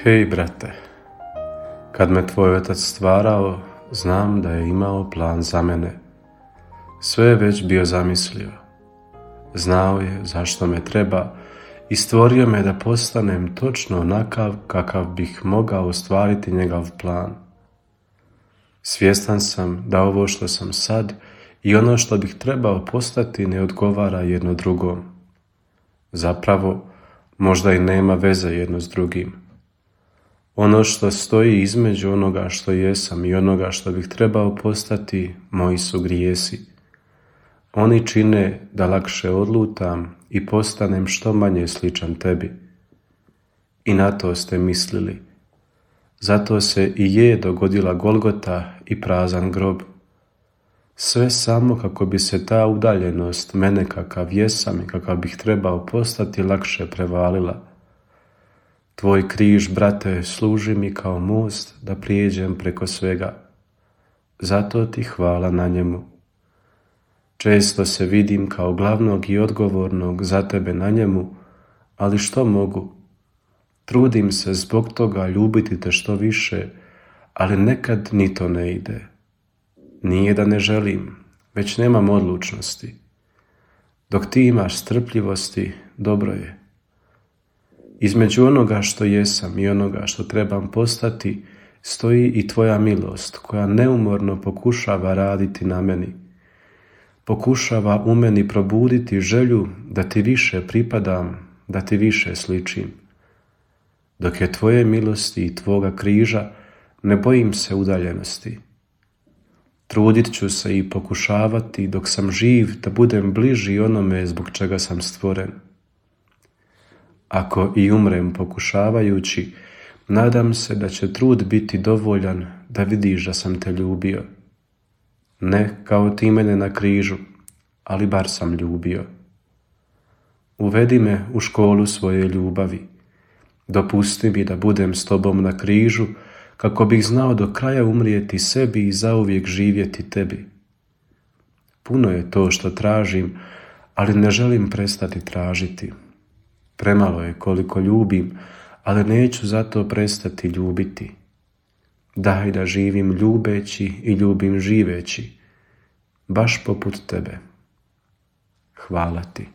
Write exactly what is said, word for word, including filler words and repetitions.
Hej, brate, kad me tvoj otac stvarao, znam da je imao plan za mene. Sve je već bio zamislio. Znao je zašto me treba i stvorio me da postanem točno onakav kakav bih mogao ostvariti njegov plan. Svjestan sam da ovo što sam sad i ono što bih trebao postati ne odgovara jedno drugom. Zapravo, možda i nema veze jedno s drugim. Ono što stoji između onoga što jesam i onoga što bih trebao postati, moji su grijesi. Oni čine da lakše odlutam i postanem što manje sličan tebi. I na to ste mislili. Zato se i je dogodila Golgota i prazan grob. Sve samo kako bi se ta udaljenost mene kakav jesam i kakav bih trebao postati lakše prevalila. Tvoj križ, brate, služi mi kao most da prijeđem preko svega. Zato ti hvala na njemu. Često se vidim kao glavnog i odgovornog za tebe na njemu, ali što mogu? Trudim se zbog toga ljubiti te što više, ali nekad ni to ne ide. Nije da ne želim, već nemam odlučnosti. Dok ti imaš strpljivosti, dobro je. Između onoga što jesam i onoga što trebam postati, stoji i tvoja milost koja neumorno pokušava raditi na meni. Pokušava u meni probuditi želju da ti više pripadam, da ti više sličim. Dok je tvoje milosti i tvoga križa, ne bojim se udaljenosti. Trudit ću se i pokušavati dok sam živ da budem bliži onome zbog čega sam stvoren. Ako i umrem pokušavajući, nadam se da će trud biti dovoljan da vidiš da sam te ljubio. Ne kao ti mene na križu, ali bar sam ljubio. Uvedi me u školu svoje ljubavi. Dopusti mi da budem s tobom na križu, kako bih znao do kraja umrijeti sebi i zauvijek živjeti tebi. Puno je to što tražim, ali ne želim prestati tražiti. Premalo je koliko ljubim, ali neću zato prestati ljubiti. Daj da živim ljubeći i ljubim živeći, baš poput tebe. Hvala ti.